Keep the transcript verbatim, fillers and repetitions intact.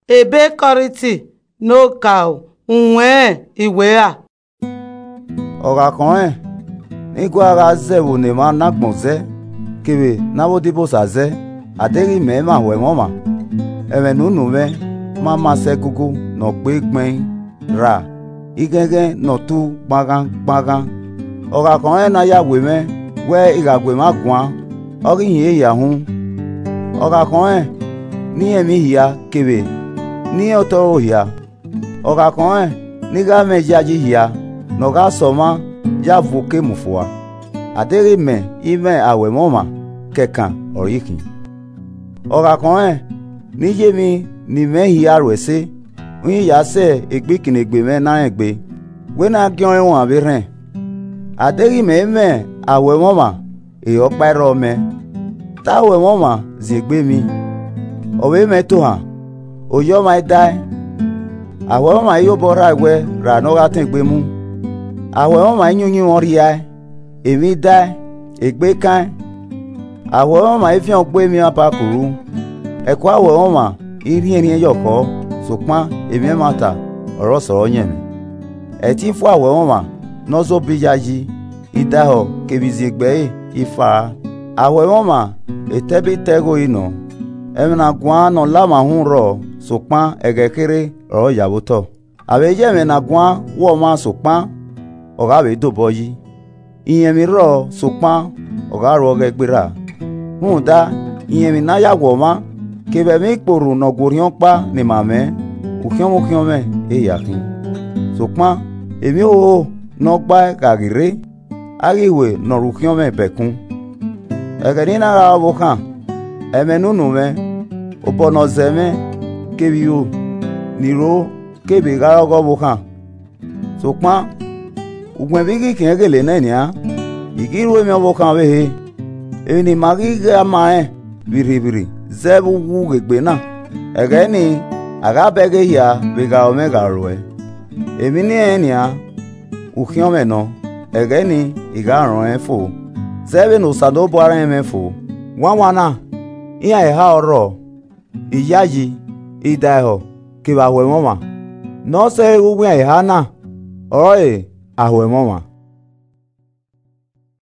Ebe Kọrinti ne okaro, uwẹnrẹn iwẹ ra? Ọ gha khọnrẹn ne I gua gha zẹ ẹvbo ne emwa ne agbọn zẹ, kevbe ne avbe odibosa zẹ, a deghẹ imẹ i mwẹ aho ẹmwẹ ọmwa, ẹmwẹ ne unu mwẹ ma ma sẹ egungun ne ọ gbe gbẹn ra, ighẹnghẹn ne ọ tu gbanghan gbanghan. Ọ gha khọnrẹn ne a ya we mwẹ wẹ I gha gu emwa guan, ọ ghi hin ehia hun. Ọ gha khọnrẹn ne I rẹn emwi hia kevbe ne I rẹn otọ ẹre hia. Ọ gha khọnrẹn ne I gha mwẹ iyayi hia ne ọ gha sẹ ọmwa ya vuke mu fua. A deghẹ imẹ i mwẹ aho ẹmwẹ ọmwa, kẹkan ọre I khin. Ọ gha khọnrẹn ne I ye emwi ne I mwẹ hia ru ẹse, uhin ya sẹ egbe ikinnegbe mwẹ ne a rẹn egbe, wẹ ne a giọnrẹn uan vbe rhẹn. A deghẹ imẹ i mwẹ aho ẹmwẹ ọmwa, e ọkpa i rrọọ mẹ. Te aho ẹmwẹ ọmwa ziengbe emwi, ọ vbe mwẹ tohan, oye ọmwa i dae, aho ẹmwẹ ọmwa i ye obọ rra wẹ ra ne ọ gha tẹn egbe mu, aho ẹmwẹ ọmwa i yin uyinmwẹ ọ rhiae, emwi i dae, egbe i kaẹn, aho ẹmwẹ ọmwa i viẹn ogbe emwi apakuru, ẹko aho ẹmwẹ ọmwa i rhiẹnrhiẹn yọ khọ, sokpan emwi ẹmwata ọre ọ sọrọ yẹn mwẹ. Ẹtin fua aho ẹmwẹ ọmwa ne ọ zobọ iyayi, idaehọ kevbe iziegbe ẹre i faa. Aho ẹmwẹ ọmwa etẹbitẹ igho i nọ, ẹmwẹ ne a guan ne ọ la mwa uhunmwu rrọọ, sokpan ẹghẹ kherhe ọre ọ ya vbe otọ. A vbe ye ẹmwẹ ne a guan wẹ ọmwa sokpan ọ gha vbe dobọ yi. Irẹn emwi rrọọ sokpan ọ gha ru ọghẹ gbe rra. Rhunmwuda, irẹn emwi ne a ya wẹ ọmwa, kevbe ẹmwẹ ikporhu ne ọ gu orhiọn ọkpa ne ima mwẹ, ukhiọnmwukhiọnmwẹ ehia khin. Sokpan emwi hoho ne ọ gbae gha ghi rre, a ghi hue ne ọ ru ukhiọnmwẹ bẹkun. Ẹghẹ ne I na gha re ọvbokhan, ẹmwẹ ne unu mwẹ, obọ ne ọ zẹ mwẹ, kevbe iro ne I ro kevbe gha re ọghe ọvbokhan. Sokpan uwẹ vbe I ghi khian ghele nẹ nian, I ghi ru emwi ọvbokhan ọvbehe. Emwi ne ima ghi gha ma rẹn vbirrivbirri zẹ vbe uwu ghe egbe na, ẹghẹ nii, a gha bẹghe hia vbe gha ru mwẹ gha ruẹ. Emwi ne I rẹnrẹn nian, ukhiọnmwẹ nọ, ẹghẹ nii, I gha rọnrẹn fo, zẹ vbene Osanobua rẹn mwẹ fo. Wanwan na, iran eha ọ rrọọ, iyayi, idaehọ, kevbe aho ẹmwẹ ọmwa. Ne ọ sẹe ghe uwu iran eha na, ọrọre aho ẹmwẹ ọmwa.